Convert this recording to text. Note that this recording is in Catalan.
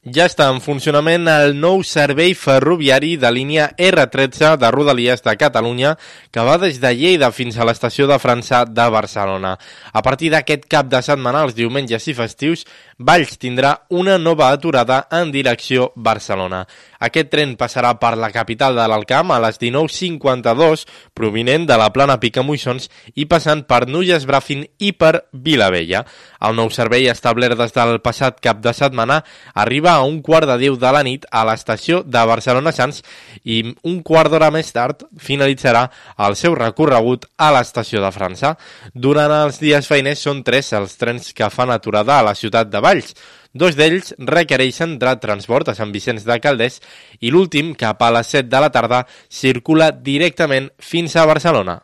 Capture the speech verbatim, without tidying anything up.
Ja està en funcionament el nou servei ferroviari de línia erre tretze de Rodalies de Catalunya que va des de Lleida fins a l'estació de França de Barcelona. A partir d'aquest cap de setmana, els diumenges i festius, Valls tindrà una nova aturada en direcció Barcelona. Aquest tren passarà per la capital de l'Alcamp a les dinou cinquanta-dos, provinent de la plana Picamoixons i passant per Nulles Bràfim i per Vilavella. El nou servei, establert des del passat cap de setmana, arriba a un quart de deu de la nit a l'estació de Barcelona Sants i un quart d'hora més tard finalitzarà el seu recorregut a l'estació de França. Durant els dies feiners són tres els trens que fan aturada a la ciutat de Valls. Dos d'ells requereixen de transport a Sant Vicenç de Calders i l'últim, cap a les set de la tarda, circula directament fins a Barcelona.